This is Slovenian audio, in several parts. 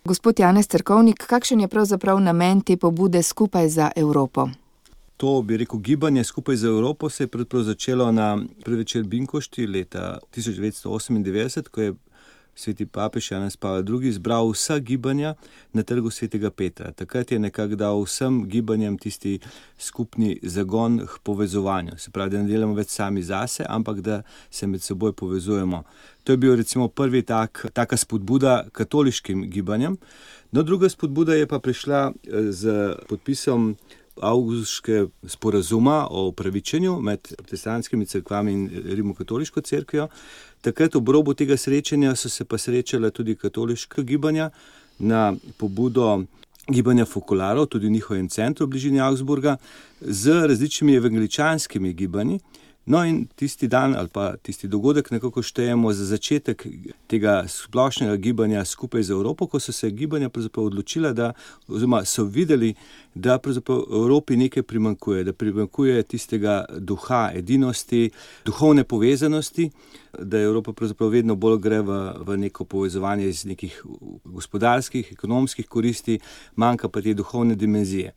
Gospod Janez Cerkovnik, kakšen je pravzaprav namen te pobude Skupaj za Evropo? To, bi rekel, gibanje Skupaj za Evropo se je pravzaprav začelo na prvi večer Binkošti leta 1998, ko je sveti papež Janez Pavel II. Zbral vsa gibanja na trgu svetega Petra. Takrat je nekako dal vsem gibanjem tisti skupni zagon k povezovanju. Se pravi, da ne delamo več sami zase, ampak da se med seboj povezujemo. To je bil recimo prvi taka spodbuda katoliškim gibanjem. No, druga spodbuda je pa prišla z podpisom avgustovskega sporazuma o upravičenju med protestantskimi cerkvami in rimokatoliško cerkvijo. Takrat ob robu tega srečanja so se pa srečala tudi katoliška gibanja na pobudo gibanja fokularov, tudi v njihovem centru v bližini Augsburga, z različnimi evangeličanskimi gibanji. No in tisti dan ali pa tisti dogodek nekako štejemo za začetek tega splošnega gibanja Skupaj za Evropo, ko so se gibanja pravzaprav odločila, oziroma so videli, da pravzaprav Evropi nekaj primanjkuje, da primanjkuje tistega duha edinosti, duhovne povezanosti, da Evropa pravzaprav vedno bolj gre v neko povezovanje iz nekih gospodarskih, ekonomskih koristi, manjka pa te duhovne dimenzije.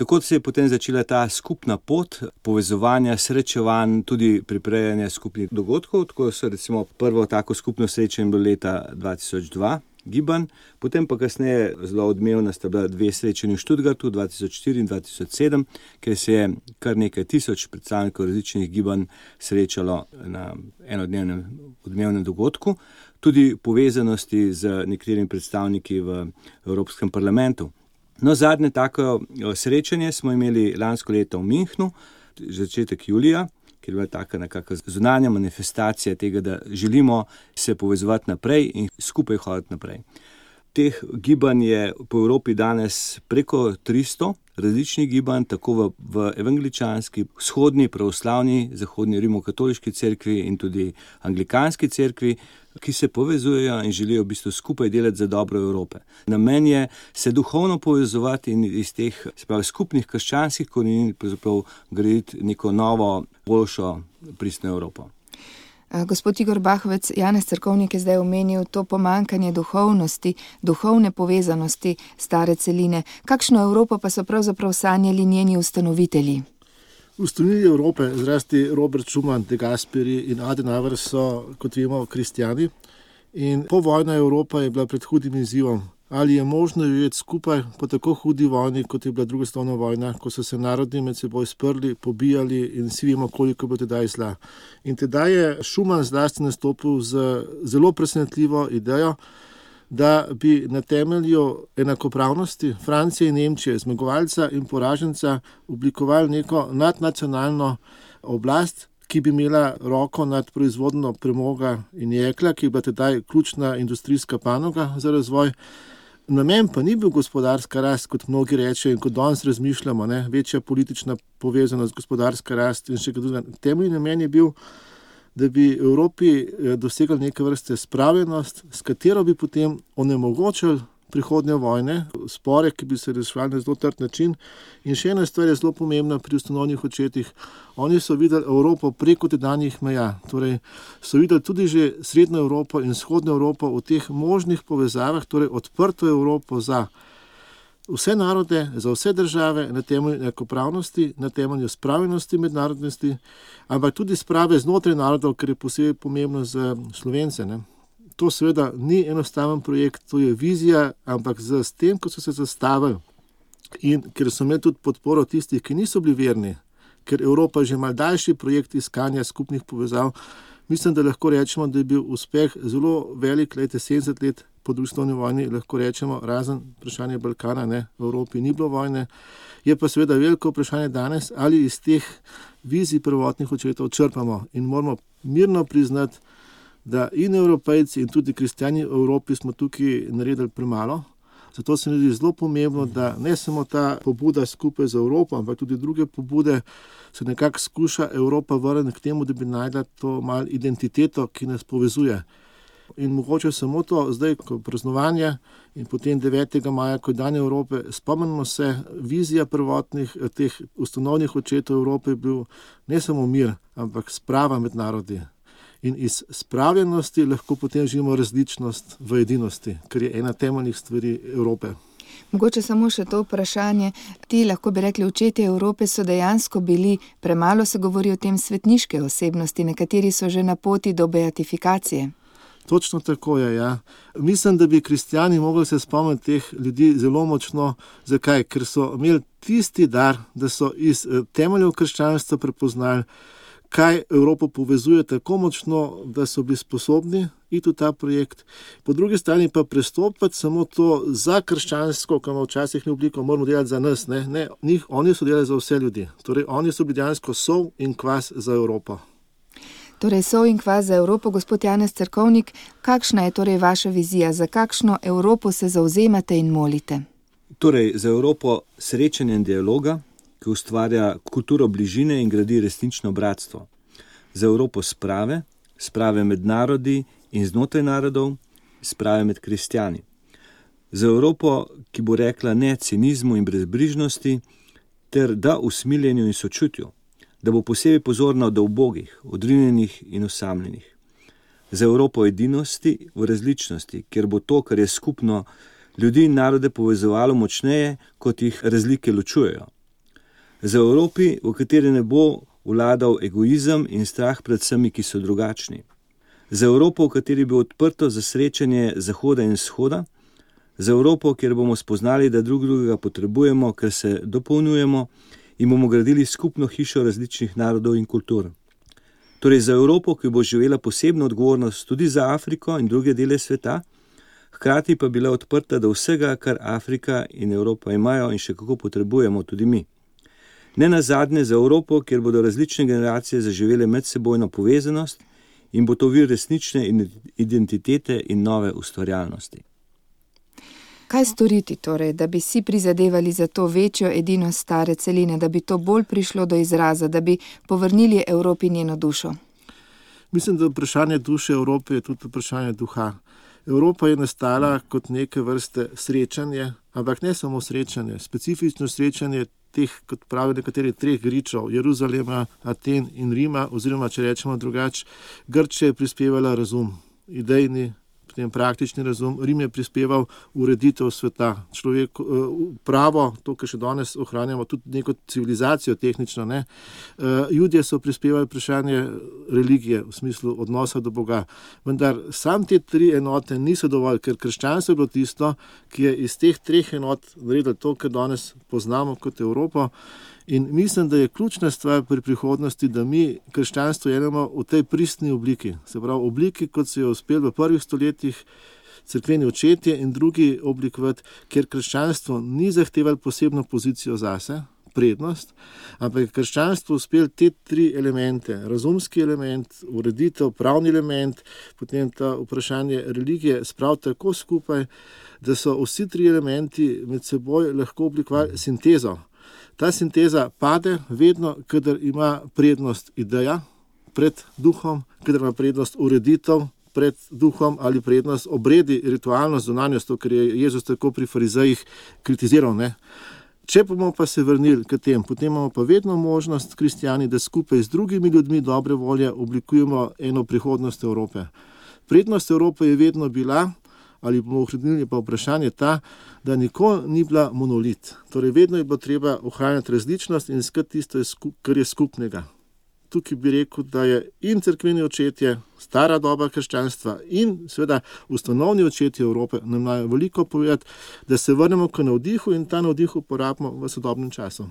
Tako se je potem začela ta skupna pot povezovanja, srečevanj, tudi priprejanja skupnih dogodkov. Tako so recimo prvo tako skupno srečanje bilo leta 2002 gibanj, potem pa kasneje zelo odmevna sta bila 2 srečanji v Stuttgartu 2004 in 2007, kjer se je kar nekaj tisoč predstavnikov različnih gibanj srečalo na enodnevnem odmevnem dogodku, tudi povezanosti z nekaterimi predstavniki v Evropskem parlamentu. No, zadnje tako srečanje smo imeli lansko leto v Münchnu, začetek julija, kjer je bila taka nekakva zunanja manifestacija tega, da želimo se povezovati naprej in skupaj hoditi naprej. Teh gibanj je po Evropi danes preko 300 različnih gibanj, tako v evangeličanski, vzhodni, pravoslavni, zahodni rimokatoliški cerkvi in tudi anglikanski cerkvi, ki se povezujejo in želijo v bistvu skupaj delati za dobro Evrope. Namen je se duhovno povezovati in iz teh skupnih krščanskih korenin pravzaprav graditi neko novo, boljšo, pristno Evropo. Gospod Igor Bahovec, Janez Cerkovnik je zdaj omenil to pomanjkanje duhovnosti, duhovne povezanosti stare celine. Kakšno Evropo pa so pravzaprav sanjali njeni ustanovitelji? Ustanovitelji Evrope, zlasti Robert Schuman, De Gasperi in Adenauer so, kot vemo, kristjani. In povojna Evropa je bila pred hudim izzivom. Ali je možno živeti skupaj po tako hudi vojni, kot je bila druga svetovna vojna, ko so se narodi med seboj sprli, pobijali in vsi vemo, koliko bo tedaj zla. In tedaj je Schuman zlasti nastopil z zelo presenetljivo idejo, da bi na temelju enakopravnosti Francije in Nemčije, zmagovalca in poraženca, oblikovali neko nadnacionalno oblast, ki bi imela roko nad proizvodnjo premoga in jekla, ki je bila tedaj ključna industrijska panoga za razvoj. Namen pa ni bil gospodarska rast, kot mnogi rečejo in kot danes razmišljamo, večja politična povezanost, gospodarska rast in še kaj drugega. Temeljni namen je bil, da bi Evropi dosegli neke vrste spravljenost, s katero bi potem onemogočili prihodnje vojne, spore, ki bi se reševali na zelo trd način. In še ena stvar je zelo pomembna pri ustanovnih očetih. Oni so videli Evropo preko tedanjih meja. Torej so videli tudi že srednjo Evropo in vzhodno Evropo v teh možnih povezavah, torej odprto Evropo za vse narode, za vse države, na temelju enakopravnosti, na temelju spravljenosti mednarodnosti, ampak tudi sprave znotraj narodov, kar je posebej pomembno za Slovence. To seveda ni enostaven projekt, to je vizija, ampak s tem, ko so se zastavili in ker so imeli tudi podporo tistih, ki niso bili verni, ker Evropa je že mal daljši projekt iskanja skupnih povezav, mislim, da lahko rečemo, da je bil uspeh zelo velik, 70 let po drugi svetovni vojni, lahko rečemo, razen vprašanje Balkana, v Evropi ni bilo vojne. Je pa seveda veliko vprašanje danes, ali iz teh vizij prvotnih očetov črpamo in moramo mirno priznati, da in Evropejci in tudi kristjani v Evropi smo tukaj naredili premalo. Zato se mi zdi zelo pomembno, da ne samo ta pobuda Skupaj za Evropo, ampak tudi druge pobude se nekako skuša Evropa vrniti k temu, da bi najdla to malo identiteto, ki nas povezuje. In mogoče samo to, zdaj, ko praznovanje in potem 9. maja, ko je dan Evrope, spomnimo se, vizija prvotnih teh ustanovnih očetov Evrope je bil ne samo mir, ampak sprava med narodi. In iz spravljenosti lahko potem živimo različnost v edinosti, kar je ena temeljnih stvari Evrope. Mogoče samo še to vprašanje. Ti, lahko bi rekli, očetje Evrope so dejansko bili, premalo se govori o tem, svetniške osebnosti, nekateri so že na poti do beatifikacije. Točno tako je, ja. Mislim, da bi kristjani mogli se spomniti teh ljudi zelo močno. Zakaj? Ker so imeli tisti dar, da so iz temeljev krščanstva prepoznali, kaj Evropo povezuje tako močno, da so bili sposobni iti v ta projekt. Po drugi strani pa prestopiti samo to za krščansko, ki ima včasih ni obliko, moramo delati za nas. Ne, oni so delali za vse ljudi. Torej, oni so bili dejansko sol in kvas za Evropo. Torej, sol in kvas za Evropo. Gospod Janez Cerkovnik, kakšna je torej vaša vizija? Za kakšno Evropo se zavzemate in molite? Torej, za Evropo srečanja in dialoga, ki ustvarja kulturo bližine in gradi resnično bratstvo. Za Evropo sprave med narodi in znotraj narodov, sprave med kristjani. Za Evropo, ki bo rekla ne cinizmu in brezbrižnosti, ter da usmiljenju in sočutju, da bo posebej pozorna do ubogih, odrinjenih in osamljenih. Za Evropo edinosti v različnosti, kjer bo to, kar je skupno, ljudi in narode povezovalo močneje, kot jih razlike ločujejo. Za Evropi, v kateri ne bo vladal egoizem in strah pred vsemi, ki so drugačni. Za Evropo, v kateri bo odprto za srečanje Zahoda in Vzhoda. Za Evropo, kjer bomo spoznali, da drugega potrebujemo, ker se dopolnjujemo in bomo gradili skupno hišo različnih narodov in kultur. Torej za Evropo, ki bo živela posebno odgovornost tudi za Afriko in druge dele sveta, hkrati pa bila odprta do vsega, kar Afrika in Evropa imajo in še kako potrebujemo tudi mi. Ne nazadnje za Evropo, kjer bodo različne generacije zaživele medsebojno povezanost in bo to vir resnične identitete in nove ustvarjalnosti. Kaj storiti torej, da bi si prizadevali za to večjo edinost stare celine, da bi to bolj prišlo do izraza, da bi povrnili Evropi njeno dušo? Mislim, da vprašanje duše Evrope je tudi vprašanje duha. Evropa je nastala kot neke vrste srečanje, ampak ne samo srečanje, specifično srečanje teh, kot pravijo nekateri, treh gričev, Jeruzalema, Aten in Rima, oziroma, če rečemo drugače, Grčija je prispevala razum, idejni, potem praktični razum, Rim je prispeval ureditev sveta, človek, pravo, to, kar še danes ohranjamo, tudi neko civilizacijo tehnično, ne. Judje so prispevali vprašanje religije, v smislu odnosa do Boga. Vendar sam te tri enote niso dovolj, ker krščanstvo je bilo tisto, ki je iz teh treh enot naredilo to, kar danes poznamo kot Evropo. In mislim, da je ključna stvar pri prihodnosti, da mi krščanstvo jedemo v tej pristni obliki. Se pravi, obliki, kot se je uspel v prvih stoletjih cerkveni očetje in drugi oblikovati, ker krščanstvo ni zahtevalo posebno pozicijo zase, prednost, ampak je krščanstvo uspel te tri elemente, razumski element, ureditev, pravni element, potem ta vprašanje religije spraviti tako skupaj, da so vsi tri elementi med seboj lahko oblikovali sintezo. Ta sinteza pade vedno, kadar ima prednost ideja pred duhom, kadar ima prednost ureditev pred duhom ali prednost obredi, ritualnost, zunanjost, to, kar je Jezus tako pri farizejih kritiziral, ne. Če bomo pa se vrnili k tem, potem imamo pa vedno možnost, kristjani, da skupaj z drugimi ljudmi dobre volje oblikujemo eno prihodnost Evrope. Prednost Evrope je vedno bila, ali bomo ohranili pa vprašanje ta, da nikoli ni bila monolit. Torej vedno je bilo treba ohranjati različnost in iskati tisto, kar je skupnega. Tukaj bi rekel, da je in cerkveni očetje, stara doba krščanstva in seveda ustanovni očetje Evrope nam imajo veliko povedati, da se vrnemo k navdihu in ta navdih uporabimo v sodobnem času.